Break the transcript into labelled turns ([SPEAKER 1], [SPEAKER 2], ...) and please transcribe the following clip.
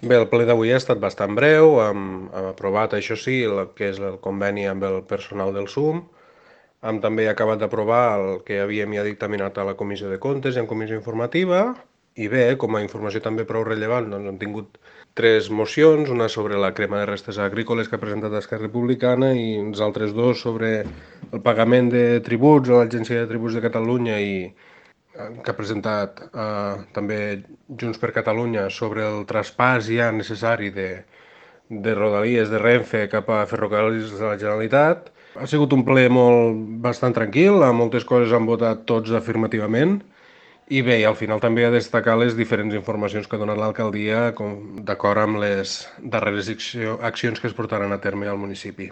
[SPEAKER 1] Bé, el ple d'avui ha estat bastant breu, hem aprovat, això sí, el que és el conveni amb el personal del SUM, hem també acabat d'aprovar el que havíem ja dictaminat a la Comissió de Comptes i en Comissió Informativa, i bé, com a informació també prou rellevant, doncs hem tingut tres mocions, una sobre la crema de restes agrícoles que ha presentat Esquerra Republicana i uns altres dos sobre el pagament de tributs a l'Agència de Tributs de Catalunya i que ha presentat també Junts per Catalunya sobre el traspàs ja necessari de Rodalies de Renfe cap a Ferrocarrils de la Generalitat. Ha sigut un ple bastant tranquil, a moltes coses han votat tots afirmativament, i bé, i al final també a destacar les diferents informacions que ha donat l'alcaldia d'acord amb les darreres accions que es portaran a terme al municipi.